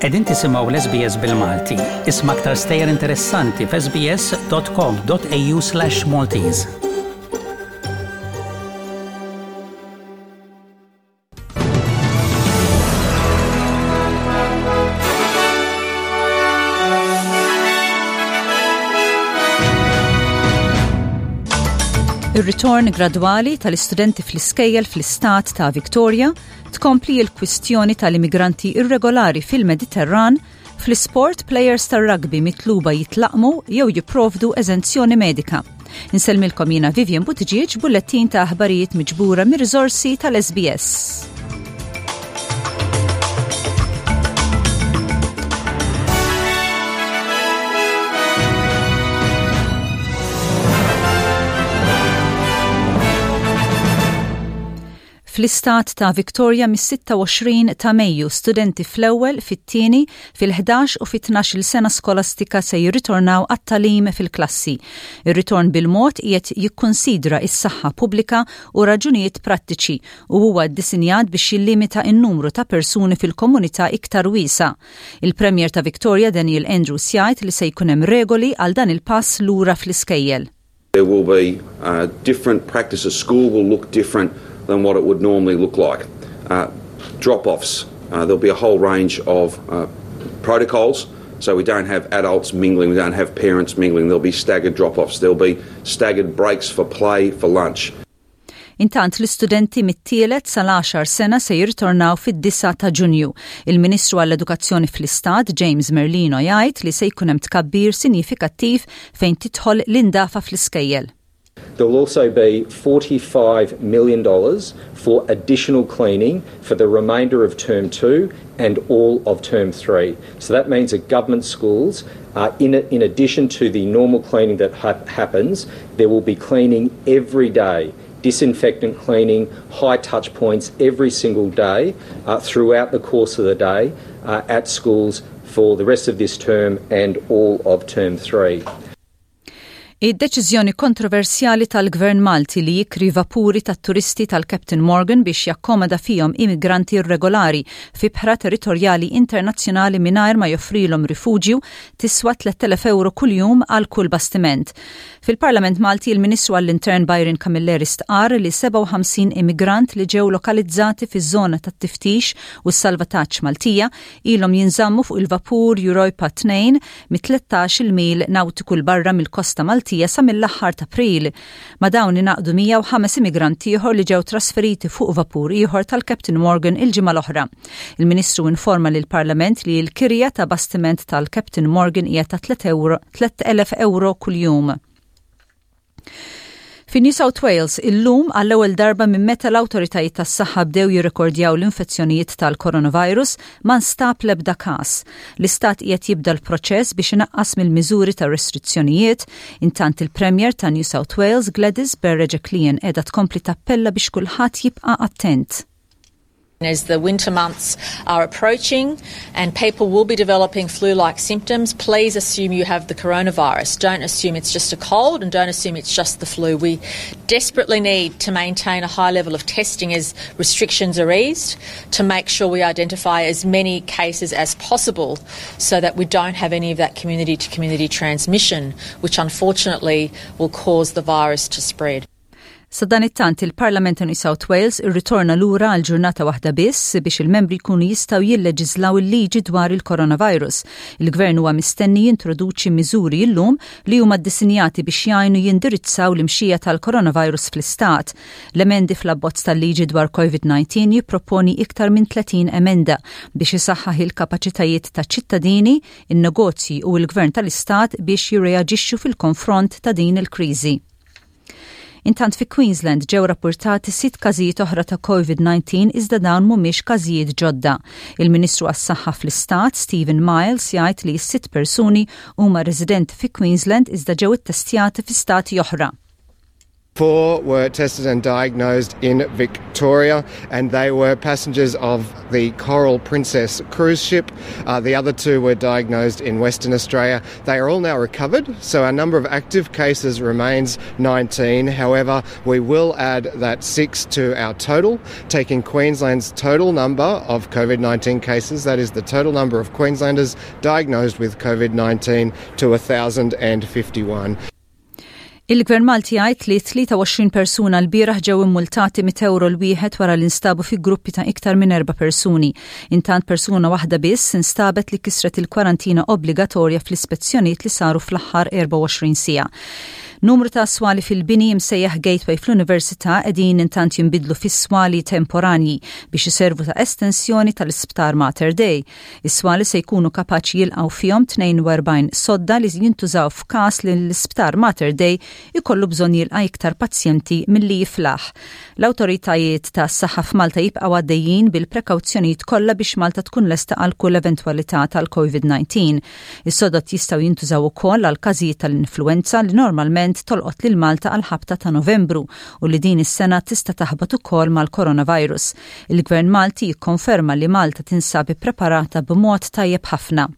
Qegħdin tisimgħu l-SBS bil-Malti. Isma' aktar stejjer interessanti f'sbs.com.au/Maltese. Ir-ritorn gradwali tal-istudenti fl-iskejjel fl-istat ta' Victoria tkompli l-kwistjoni tal-immigranti irregolari fil-Mediterran Fl-isport, plejers tar-rugby mitluba jitlaqmu jew jipprovdu eżenzjoni medika. Insellmilkom jiena Vivian Buttigieg bullettin ta' aħbarijiet miġbura mir-riżorsi tal-SBS. Fl-istat ta' Victoria mis-26 ta' Mejju, studenti fl-ewwel, fit-tieni, fil-ħdax u fit-tnax-il sena skolastika se jirritornaw għat-tagħlim fil-klassi. Ir-ritorn bil-mod qiegħed jikkunsidra s-saħħa pubblika u raġunijiet prattiċi u huwa ddisinjat biex jillimita n-numru ta' persuni fil-komunità iktar wiesgħa. Il-Premier ta' Victoria Daniel Andrews jgħid li se jkun hemm regoli għal dan il-pass lura fl-iskejjel. There will be uh, different practices. School will look different than what it would normally look like. Uh, drop-offs, uh, there'll be a whole range of uh, protocols. So we don't have adults mingling, we don't have parents mingling. There'll be staggered drop-offs. There'll be staggered breaks for play, for lunch. Intant l-istudenti mit-tielet sal-għaxar sena se jirritornaw fid-9 ta' Ġunju. Il-Ministru għall-Edukazzjoni fl-Istat, James Merlino jgħid li se jkun hemm tkabbir sinjifikattiv fejn tidħol l-indafa fl-iskejjel. There will also be $45 million for additional cleaning for the remainder of term 2 and all of term 3. So that means that government schools, uh, in, in addition to the normal cleaning that ha happens, there will be cleaning every day disinfectant cleaning, high touch points every single day uh, throughout the course of the day uh, at schools for the rest of this term and all of term 3. Id-deċiżjoni kontroversjali tal-Gvern Malti li jikri vapuri tat-turisti tal-Captain Morgan biex jakkomoda fihom immigranti irregolari f'ibħra territorjali internazzjonali mingħajr ma joffrilhom rifuġju tiswa 3,000 ewro kuljum għal kull bastiment. Fil-Parlament Malti il-Ministru għall-Intern Byron Camilleri stqarr li 57 immigrant li ġew lokalizzati fiż-żona tat-tiftix u s-salvataġġ Maltija ilhom jinżammu fuq il-vapur Europa 2 mit-13-il mil nawtiku 'l barra mill-kosta Maltija sa mill-aħħar t'April. Ma' dawn ingħaqdu 105 immigrant ieħor li ġew trasferiti fuq vapur ieħor tal-Captain Morgan il-ġimgħa l-oħra. Il-Ministru informa lill-Parlament li l-kirja ta' bastiment tal-Captain Morgan hija ta' 3,000 ewro kuljum. Fi New South Wales, illum għall-ewwel darba minn meta l-awtoritajiet tas-saħħa bdew jirrekordjaw l-infezzjonijiet tal-coronavirus ma nstab l-ebda każ. L-istat qiegħed jibda l-proċess biex inaqqas mill-miżuri ta' restrizzjonijiet, intant il-Premier ta' New South Wales Gladys Berejiklian qiegħda tkompli tappella biex kulħadd jibqa' attent. As the winter months are approaching and people will be developing flu-like symptoms, please assume you have the coronavirus. Don't assume it's just a cold and don't assume it's just the flu. We desperately need to maintain a high level of testing as restrictions are eased to make sure we identify as many cases as possible so that we don't have any of that community to community transmission, which unfortunately will cause the virus to spread. Sadanittant, il-Parlament ta' New South Wales irritorna lura għal ġurnata waħda biss biex il-membri jkunu jistgħu jilleġiżlaw il-liġi dwar il-coronavirus. Il-Gvern huwa mistenni jintroduċi miżuri llum li huma ddisinjati biex jgħinu jindirizzaw l-imxija tal-coronavirus fl-istat. L-emendi fl-abbozz tal-liġi dwar COVID-19 jipproponi iktar minn 30 emenda biex isaħħaħ il-kapaċitajiet taċ-ċittadini, in-negozji u l-Gvern tal-istat biex jirreaġixxu fil-konfront ta' din il-kriżi. Intant fi Queensland ġew rappurtati sitt każijiet oħra ta' COVID-19 iżda dawn mhumiex każijiet ġodda. Il-Ministru għas-Saħħa fl-Istat, Stephen Miles, jgħid li s-sitt persuni huma residenti fi Queensland iżda ġew ittestjati fi stati oħra. Four were tested and diagnosed in Victoria, and they were passengers of the Coral Princess cruise ship. Uh, the other two were diagnosed in Western Australia. They are all now recovered, so our number of active cases remains 19. However, we will add that six to our total, taking Queensland's total number of COVID 19 cases, that is the total number of Queenslanders diagnosed with COVID 19, to 1,051. Il-Gvern Malti jgħid li 23 persuna lbieraħ ġew immultati mit ewro l-wieħed wara li nstabu fi gruppi ta' iktar minn erba' persuni. Intant persuna waħda biss instabet li kisret il-kwarantina obbligatorja fl-ispezzjonijiet li saru fl-aħħar 24 siegħa. Numru ta' swali fil-bini msejjaħ Gateway fl-Università qegħdin intant jinbidlu fi swali temporanji biex iservu ta' estensjoni tal-Isptar Mater Dei. Is-swali se jkunu kapaċi jilqgħu fihom 42 sodda li jintużaw f'każ li l-Isptar Mater Dei jkollu bżonn jilqa' iktar pazjenti milli jiflaħ. L-awtoritajiet tas-saħħa f'Malta jibqgħu għaddejjin bil-prekawzjonijiet kollha biex Malta tkun lesta għal kull eventwalità tal-COVID-19. Is-sodod jistgħu jintużaw ukoll għal każijiet tal-influwenza li normalment tolqot lil Malta għall-ħabta ta' Novembru u li din is-sena tista' taħbat ukoll mal-coronavirus. Il-Gvern Malti jikkonferma li Malta tinsab ippreparata b'mod tajjeb ħafna.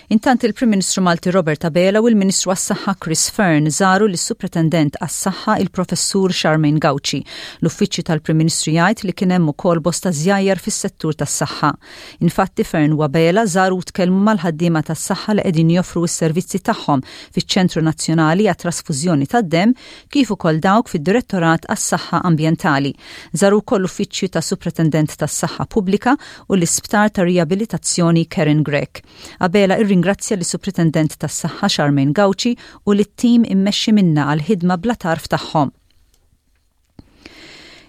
Intant il-Prim Ministru Malti Robert Abela u l-Ministru għas-Saħħa Chris Fearne żaru lis-Supretendent għas-Saħħa il-Professur Charmaine Gauci. L-Uffiċċju tal-Prim Ministru jgħid li kien hemm ukoll bosta żjajjar fis-settur tas-saħħa. Infatti Fearne u Abela żaru u tkellmu mal-ħaddiema tas-saħħa li qegħdin joffru s-servizzi tagħhom fiċ-Ċentru Nazzjonali għat-Trasfużjoni tad-Demm kif ukoll dawk fid-Direttorat għas-Saħħa Ambjentali. Żaru wkoll l-Uffiċċju tas-Supretendent tas-Saħħa Pubblika u l-Isptar ta' Riabilitazzjoni Karen Grech. Abela irringrazzja lis-Supretendent tas-Saħħa Charmaine Gauci u lit-tim immexxi minnha għall-ħidma bla tarf tagħhom.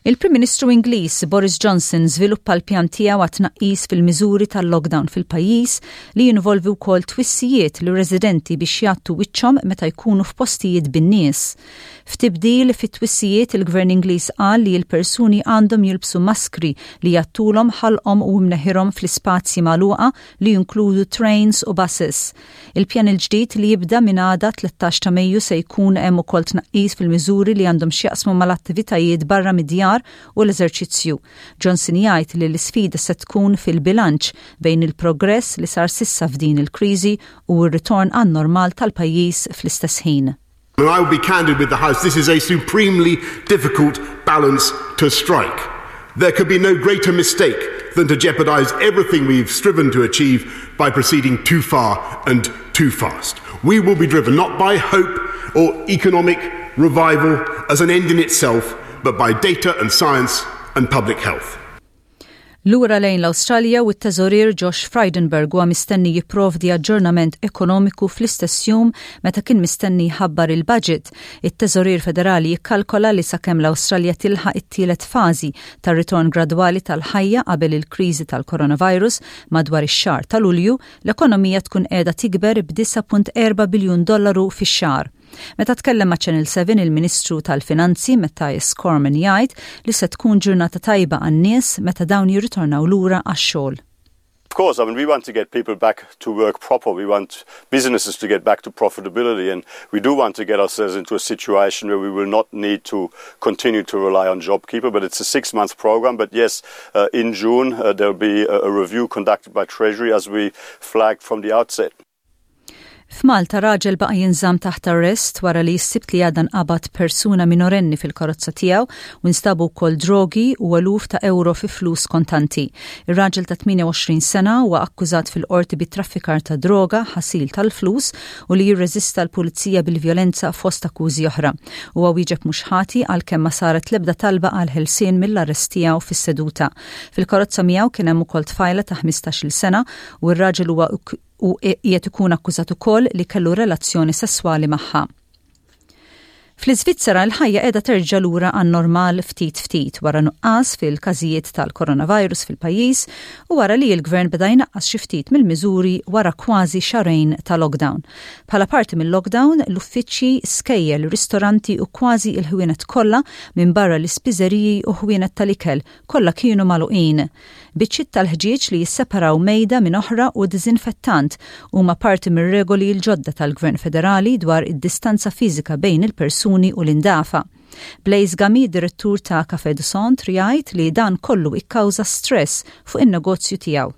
Il-Prim Ministru Ingliż Boris Johnson żviluppa l-pjan tiegħu għat-tnaqqis fil-miżuri tal-lockdown fil-pajjiż li jinvolvi wkoll twissijiet lir-residenti biex jgħattu wiċċhom meta jkunu f'postijiet bin-nies. F'tibdil fit-twissijiet il-Gvern Ingliż qal li l-persuni għandhom jilbsu maskri li jgħattulhom ħalqhom u imneħirhom fl-ispazji magħluqa li jinkludu trains u buses. Il-pjan il-ġdid li jibda minn għada 13 ta' Mejju se jkun hemm ukoll tnaqqis fil-miżuri li għandhom x'jaqsmu mal-attivitajiet barra mid-djar u l-eżerċizzju. Johnson jgħid li l-isfida se tkun fil-bilanċ bejn il-progress li sar s'issa f'din il-kriżi u r-ritorn għan-normal tal-pajjiż fl-istess ħin. And I will be candid with the House, this is a supremely difficult balance to strike. There could be no greater mistake than to jeopardise everything we've striven to achieve by proceeding too far and too fast. We will be driven not by hope or economic revival as an end in itself, but by data and science and public health. Lura lejn l-Awstralja u t-Teżorier Josh Frydenberg huwa mistenni jipprovdi aġġornament ekonomiku fl-istess jum meta kien mistenni jħabbar il-budget. It-Teżorier Federali jikkalkola li sakemm l-Awstralja tilħaq it-tielet fażi tar-ritorn gradwali tal-ħajja qabel il-kriżi tal-coronavirus madwar ix-xahar ta' Lulju, l-ekonomija tkun qiegħda tikber b'9.4 biljun dollaru fix-xahar. Meta tkellem ma' Channel 7 il-Ministru tal-Finanzi Mathias Cormann jgħid li se tkun ġurnata tajba għan-nies meta dawn jirritornaw lura għax-xogħol. Of course, I mean, we want to get people back to work proper. We want businesses to get back to profitability, and we do want to get ourselves into a situation where we will not need to continue to rely on JobKeeper. But it's a six-month program. But yes, uh, in June, uh, there'll be a, a review conducted by Treasury as we flagged from the outset. F'Malta raġel baqa' jinżamm taħt arrest wara li s-Sibt li għadda nqabad persuna minorenni fil-karozza tiegħu u nstabu wkoll drogi u eluf ta' ewro fi flus kontanti. Ir-raġel ta' 28 sena huwa akkużat fil-qorti bi traffikar ta' droga, ħasil tal-flus u li jirreżista l-pulizija bil-vjolenza fost akkużi oħra. Huwa wieġeb mhux ħati għalkemm ma saret l-ebda talba għal ħelsien mill-arrest tiegħu fis-seduta. Fil-karozza miegħu kien hemm ukoll tfajla ta' 15-il sena u r-raġel huwa u qiegħed ikun akkużat ukoll li kellu relazzjoni sesswali magħha. Fl-Iżvizzera l-ħajja qiegħda terġa' lura għan-normal ftit ftit wara nuqqas fil-każijiet tal-coronavirus fil-pajjiż u wara li l-gvern beda jnaqqas xi ftit mill-miżuri wara kważi xahrejn ta' lockdown. Bħala parti mill-lockdown, l-uffiċċji, skejjel, ristoranti u kważi l-ħwienet kollha minbarra l-ispiżeriji u ħwienet tal-ikel kollha kienu magħluqin. Biċċiet tal-ħġieġ li jisseparaw mejda minn oħra u diżinfettant huma parti mir-regoli l-ġodda tal-Gvern Federali dwar id-distanza fiżika bejn il-persuni. tal-persuni u l-indafa. Blaise Gami, direttur ta' Café du Centre, jgħid li dan kollu ikkawża stress fuq in-negozju tiegħu.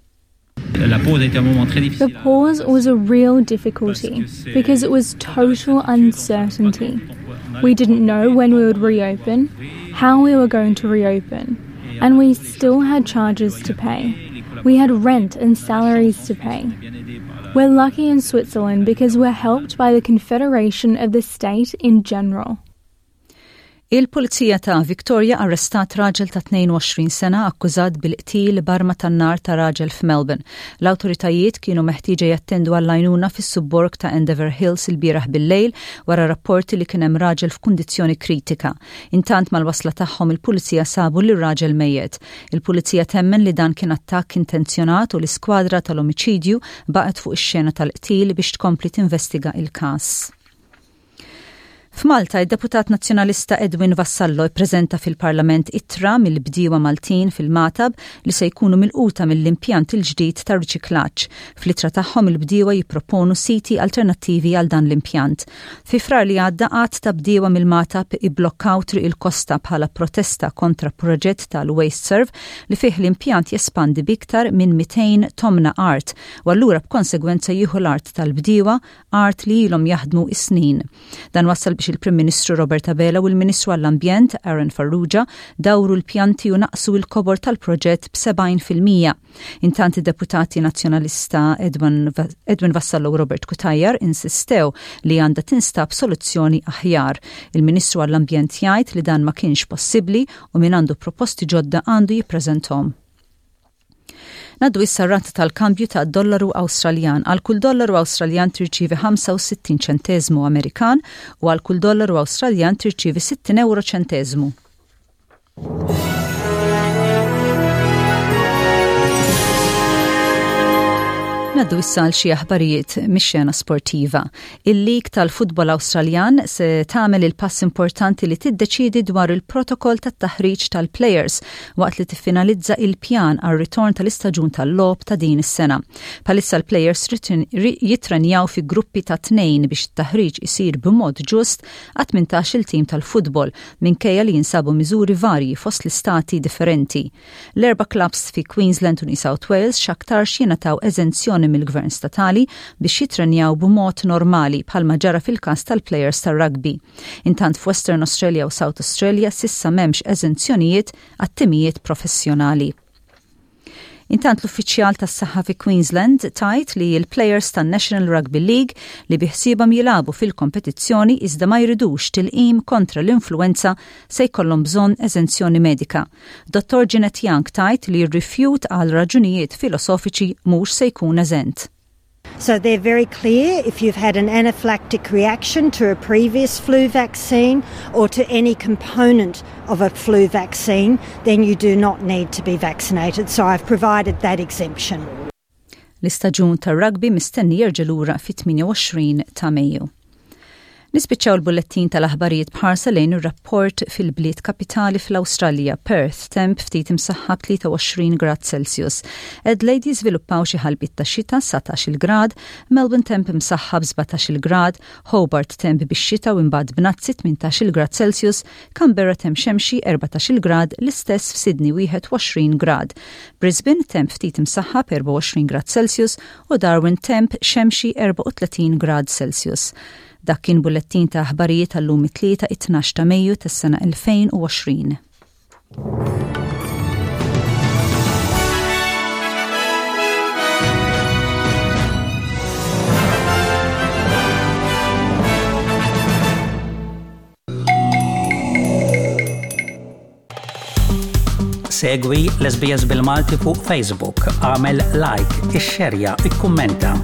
The pause was a real difficulty because it was total uncertainty. We didn't know when we would reopen, how we were going to reopen, and we still had charges to pay. We had rent and salaries to pay. We're lucky in Switzerland because we're helped by the Confederation of the State in general. Il-Pulizija ta' Victoria arrestat raġel ta' 22 sena akkużat bil-qtil b'arma tan-nar ta' raġel f'Melbourne. L-awtoritajiet kienu meħtieġa jattendu għall-għajnuna fis-subborg ta' Endeavour Hills ilbieraħ bil-lejl wara rapporti li kien hemm raġel f'kundizzjoni kritika. Intant mal-wasla tagħhom il-Pulizija sabu lir-raġel mejjet. Il-Pulizija temmen li dan kien attakk intenzjonat u l-iskwadra tal-omiċidju baqgħet fuq ix-xena tal-qtil biex tkompli tinvestiga il-każ. F'Malta, id-deputat Nazzjonalista Edwin Vassallo ippreżenta fil-Parlament ittra mill-bdiewa Maltin fil-Magħtab li se jkunu milquta mill-impjant il-ġdid ta' riċiklaġġ. Fl-ittra tagħhom il-bdiewa jipproponu siti alternattivi għal dan l-impjant. Fi Frar li għadda għadd ta' bdiewa mill-Magħtab ibblokkaw Triq il-Kosta bħala protesta kontra proġett tal-WasteServ li fih l-impjant jespandi b'iktar minn 200 tomna art u allura b'konsegwenza jieħu l-art tal-bdiewa art li ilhom jaħdmu is-snin. Dan wassal biex il-Prim Ministru Robert Abela u l-Ministru għall-Ambjent Aaron Farrugia dawru l-pjanti u naqsu l-kobor tal-proġett b'70%. Intant id-deputati Nazzjonalista Edwin Vassallo u Robert Cutajar insistew li għandha tinstab soluzzjoni aħjar. Il-Ministru għall-Ambjent jgħid li dan ma kienx possibbli u min għandu proposti ġodda għandu jippreżenthom. Ngħaddu issa r-rata tal-kambju ta' dollaru Awstraljan. Għal kull dollaru Awstraljan tirċievi 65 ċenteżmu Amerikan u għal kull dollaru Awstraljan tirċievi 60 euro ċenteżmu. Naddu issa għal xi aħbarijiet mix-xena sportiva. Il-Lig tal-Futbol Awstraljan se tagħmel il-pass importanti li tiddeċiedi dwar il-protokoll tat-taħriġ tal-plejers waqt li tiffinalizza il-pjan għar-ritorn tal-istaġun tal-logħob ta' din is-sena. Bħalissa l-plejers jittrenjaw fi gruppi ta' tnejn biex it-taħriġ isir b'mod ġust għat-18 il tim tal-futbol minkejja li jinsabu miżuri varji fost l-istati differenti. L-erba' klabbs fi Queensland u New South Wales x'aktarx jingħataw eżenzjoni mill-gvern statali biex jittrenjaw b'mod normali bħalma ġara fil-każ tal-plejers tar-rugby. Intant f'Western Australia u South Australia s'issa m'hemmx eżenzjonijiet għat-timijiet professjonali. Intant l-uffiċjal tas-saħħa fi Queensland tgħid li l-plejers tan-National Rugby League li biħsiebhom jilagħbu fil-kompetizzjoni iżda ma jridux tilqim kontra l-influwenza se jkollhom bżonn eżenzjoni medika. Dottor Jeanette Young tgħid li r-rifjut għal raġunijiet filosofiċi mhux se jkun eżent. So they're very clear if you've had an anaphylactic reaction to a previous flu vaccine or to any component of a flu vaccine, then you do not need to be vaccinated. So I've provided that exemption. L-istaġun tar-rugby mistenni jerġa' lura fit-28 ta' Mejju. Nispiċċaw il-bullettin tal-aħbarijiet b'ħarsa lejn ir-rapport fil-bliet kapitali fl-Awstralja, Perth, temp ftit imsaħħab 23 grad Celsius. Adelaide jiżviluppaw xi ħalbiet ta' xita 19-il grad, Melbourne temp imsaħħab 17-il grad, Hobart temp bix-xita u imbagħad bnazzi 18-il grad Celsius, Canberra temp xemxi 14-il grad, l-istess f'Sydney 21 grad. Brisbane temp ftit imsaħħab 24 grad Celsius u Darwin temp xemxi 34 grad Celsius. Dak kien bullettin ta' aħbarijiet għal-lum it-Tlieta it-12 ta' Mejju tas-sena 2020. Segwi l-SBS bil-Malti fuq Facebook, għamel like, ixxerja, ikkummenta.